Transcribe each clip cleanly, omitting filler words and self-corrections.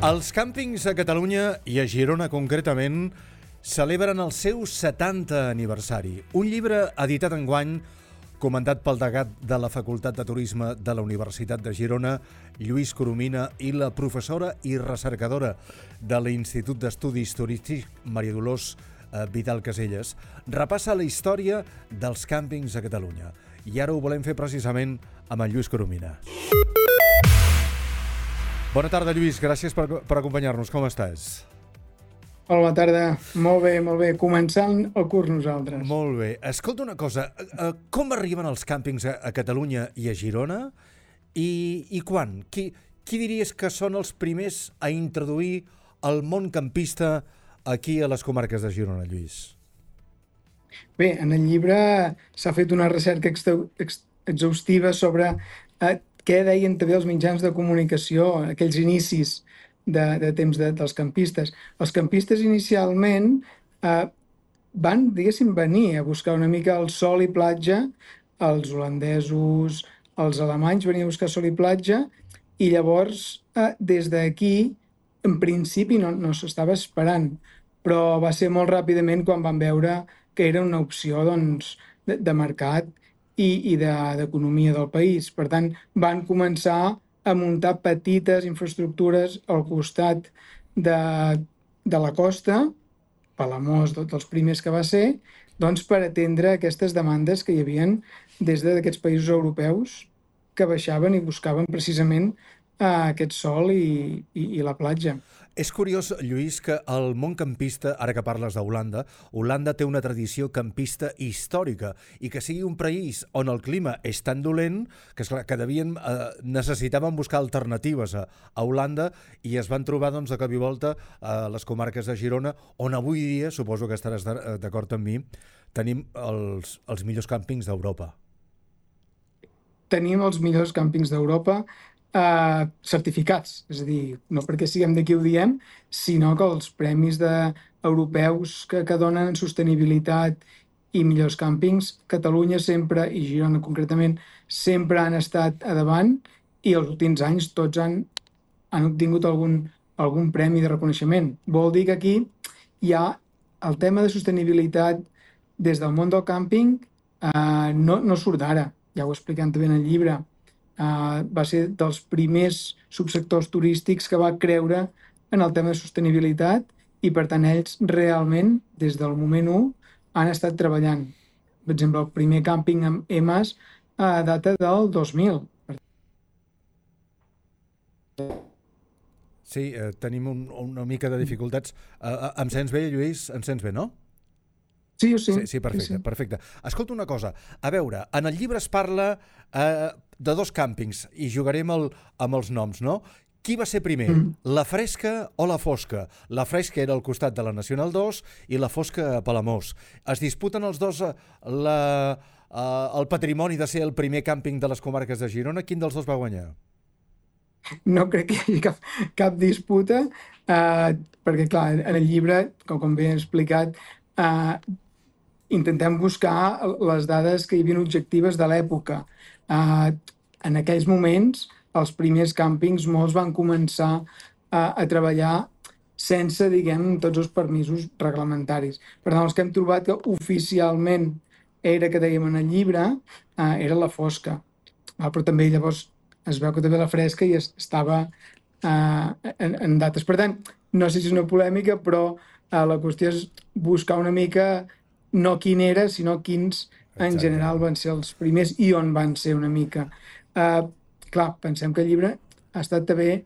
Els càmpings a Catalunya i a Girona concretament celebren el seu 70 aniversari. Un llibre editat enguany, comentat pel degat de la Facultat de Turisme de la Universitat de Girona, Lluís Coromina, i la professora i recercadora de l'Institut d'Estudis Turístics, Maria Dolors Vidal Caselles, repassa la història dels càmpings a Catalunya. I ara ho volem fer precisament amb en Lluís Coromina. Bona tarda, Lluís. Gràcies per acompanyar-nos. Com estàs? Hola, bona tarda. Molt bé. Començant el curs nosaltres. Molt bé. Escolta una cosa. Com arriben els càmpings a Catalunya i a Girona? I quan? Qui diries que són els primers a introduir el món campista aquí a les comarques de Girona, Lluís? Bé, en el llibre s'ha fet una recerca exhaustiva sobre què deien també els mitjans de comunicació, aquells inicis de temps dels campistes. Els campistes inicialment van, diguéssim, venir a buscar una mica el sol i platja. Els holandesos, els alemanys venien a buscar sol i platja, i llavors des d'aquí, en principi no s'estava esperant, però va ser molt ràpidament quan van veure que era una opció de mercat i d'economia del país. Per tant, van començar a muntar petites infraestructures al costat de la costa, Palamós dels primers que va ser, doncs per atendre aquestes demandes que hi havia des d'aquests països europeus que baixaven i buscaven precisament aquest sol i la platja. És curiós, Lluís, que el món campista, ara que parles d'Holanda, Holanda té una tradició campista històrica, i que sigui un país on el clima és tan dolent que, esclar, que necessitaven buscar alternatives a Holanda, i es van trobar de cop i volta a les comarques de Girona, on avui dia, suposo que estaràs d'acord amb mi, tenim els millors càmpings d'Europa. Tenim els millors càmpings d'Europa certificats, és a dir, no perquè siguem d'aquí ho diem, sinó que els premis europeus que donen en sostenibilitat i millors càmpings, Catalunya sempre, i Girona concretament, sempre han estat a davant, i els últims anys tots han obtingut algun premi de reconeixement. Vol dir que aquí hi ha el tema de sostenibilitat des del món del càmping, no surt d'ara, ja ho expliquem també en el llibre. Va ser dels primers subsectors turístics que va creure en el tema de sostenibilitat, i per tant ells realment des del moment 1 han estat treballant. Per exemple, el primer càmping amb EMAS data del 2000. Sí, tenim una mica de dificultats. Em sents bé, Lluís? Em sents bé, no? Sí, perfecte. Escolta una cosa, a veure, en el llibre es parla de dos càmpings, i jugarem amb els noms, no? Qui va ser primer, la Fresca o la Fosca? La Fresca era al costat de la Nacional 2 i la Fosca a Palamós. Es disputen els dos el patrimoni de ser el primer càmping de les comarques de Girona. Quin dels dos va guanyar? No crec que hi hagi cap disputa, perquè, clar, en el llibre, com bé he explicat, intentem buscar les dades que hi havia objectives de l'època. En aquells moments, els primers càmpings, molts van començar a treballar sense, diguem, tots els permisos reglamentaris. Per tant, els que hem trobat que oficialment era, que dèiem en el llibre, era la Fosca. Però també llavors es veu que també la Fresca i estava en dates. Per tant, no sé si és una polèmica, però la qüestió és buscar una mica no quin era, sinó quins en general van ser els primers i on van ser una mica. Clar, pensem que el llibre ha estat també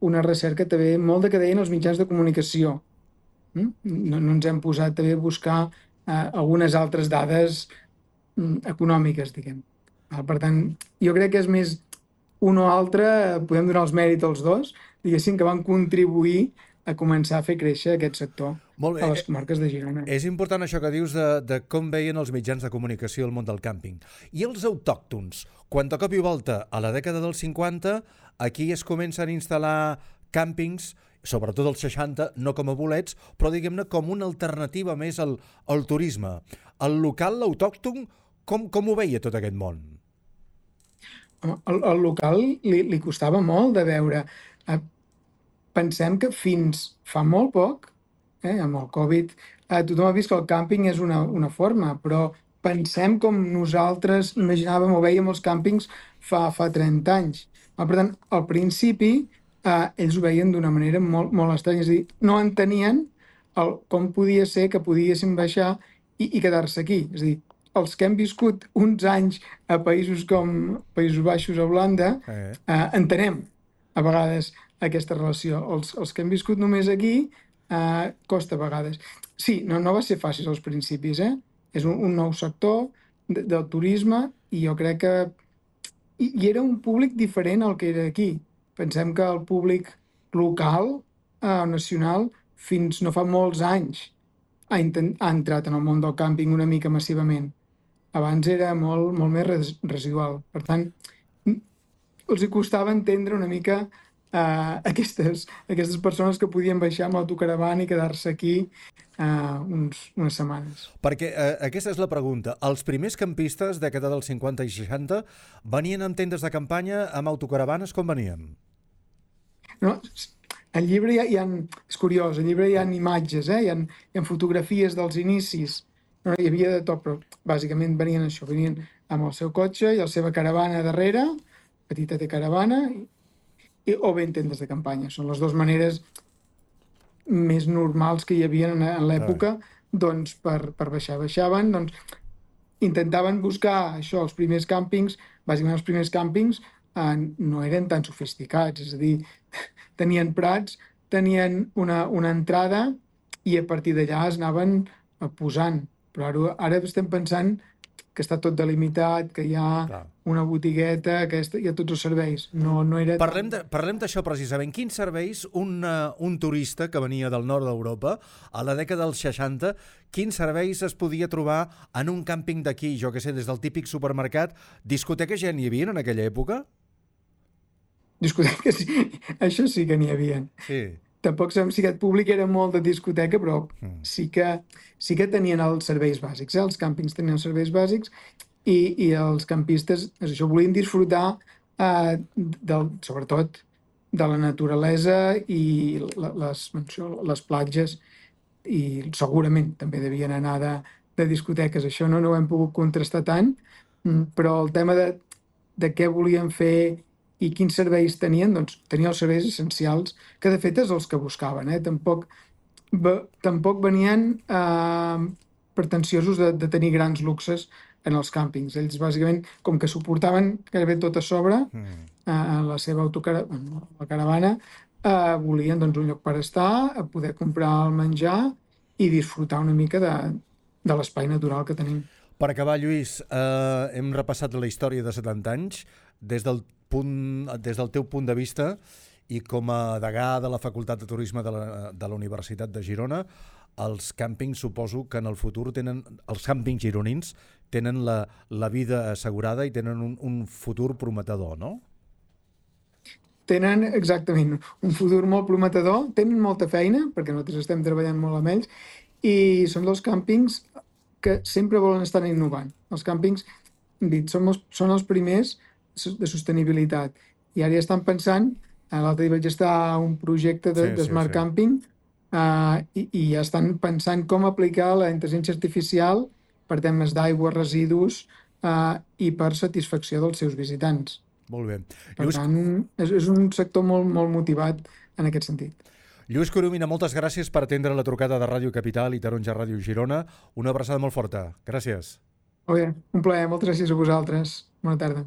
una recerca també molt de que deien els mitjans de comunicació. No ens hem posat també a buscar algunes altres dades econòmiques, diguem. Per tant, jo crec que és més un o altre, podem donar els mèrits als dos, diguéssim, que van contribuir a començar a fer créixer aquest sector a les comarques de Girona. És important això que dius de com veien els mitjans de comunicació el món del càmping. I els autòctons? Quan de cop i volta, a la dècada dels 50, aquí es comencen a instal·lar càmpings sobretot als 60, no com a bolets, però diguem-ne com una alternativa més al turisme. El local, l'autòcton, com ho veia tot aquest món? El local li costava molt de veure. Eh, Pensem que fins fa molt poc, amb el Covid, tothom ha vist que el càmping és una forma, però pensem com nosaltres imaginàvem o veiem els càmpings fa 30 anys. Per tant, al principi, ells ho veien d'una manera molt estranya, és a dir, no entenien com podia ser que poguéssim baixar i quedar-se aquí. És a dir, els que hem viscut uns anys a països com Països Baixos o Holanda, entenem a vegades aquesta relació. Els que hem viscut només aquí, costa a vegades. Sí, no va ser fàcil als principis, És un nou sector del turisme i jo crec que i era un públic diferent al que era aquí. Pensem que el públic local, nacional, fins no fa molts anys ha entrat en el món del càmping una mica massivament. Abans era molt més residual. Per tant, els hi costava entendre una mica aquestes persones que podien baixar amb l'autocaravana i quedar-se aquí unes setmanes. Perquè aquesta és la pregunta. Els primers campistes, dècada dels 50 i 60, venien amb tendes de campanya, amb autocaravanes, com venien? No, al llibre és curiós, al llibre hi ha imatges, hi ha fotografies dels inicis. No, hi havia de tot, però bàsicament venien això, venien amb el seu cotxe i la seva caravana darrere, petita de caravana, o bé en tendes de campanya. Són les dues maneres més normals que hi havia en l'època, doncs per baixar. Baixaven, doncs intentaven buscar això, els primers càmpings, bàsicament els primers càmpings no eren tan sofisticats, és a dir, tenien prats, tenien una entrada i a partir d'allà es anaven posant. Però ara estem pensant que està tot delimitat, que hi ha una botigueta, que hi ha tots els serveis. No era Parlem d'això precisament. Quins serveis un turista que venia del nord d'Europa a la dècada dels 60, quins serveis es podia trobar en un càmping d'aquí, jo que sé, des del típic supermercat? Discoteques ja n'hi havia en aquella època? Discoteques, sí. Això sí que n'hi havia. Sí. Tampoc sabem si aquest públic era molt de discoteca, però sí que tenien els serveis bàsics. Els càmpings tenien els serveis bàsics i els campistes això volien disfrutar sobretot de la naturalesa i les platges, i segurament també devien anar de discoteques. Això no ho hem pogut contrastar tant, però el tema de què volien fer i quins serveis tenien, doncs tenien els serveis essencials, que de fet és els que buscaven. Tampoc venien pretensiosos de tenir grans luxes en els càmpings. Ells bàsicament, com que suportaven gairebé tot a sobre, la seva caravana, volien doncs, un lloc per estar, poder comprar el menjar i disfrutar una mica de l'espai natural que tenim. Per acabar, Lluís, hem repassat la història de 70 anys des del teu punt de vista i com a degà de la Facultat de Turisme de la Universitat de Girona. Els càmpings, suposo que en el futur els càmpings gironins tenen la vida assegurada i tenen un futur prometedor, no? Tenen exactament un futur molt prometedor, tenen molta feina, perquè nosaltres estem treballant molt amb ells, i són dels càmpings que sempre volen estar innovant. Els càmpings, són els primers de sostenibilitat. I ara ja estan pensant, l'altre dia vaig estar a un projecte de Smart Camping, i ja estan pensant com aplicar la intel·ligència artificial per temes d'aigua, residus i per satisfacció dels seus visitants. Molt bé. Per tant, és un sector molt motivat en aquest sentit. Lluís Coromina, moltes gràcies per atendre la trucada de Ràdio Capital i Taronja Ràdio Girona. Una abraçada molt forta. Gràcies. Molt bé, un plaer. Moltes gràcies a vosaltres. Bona tarda.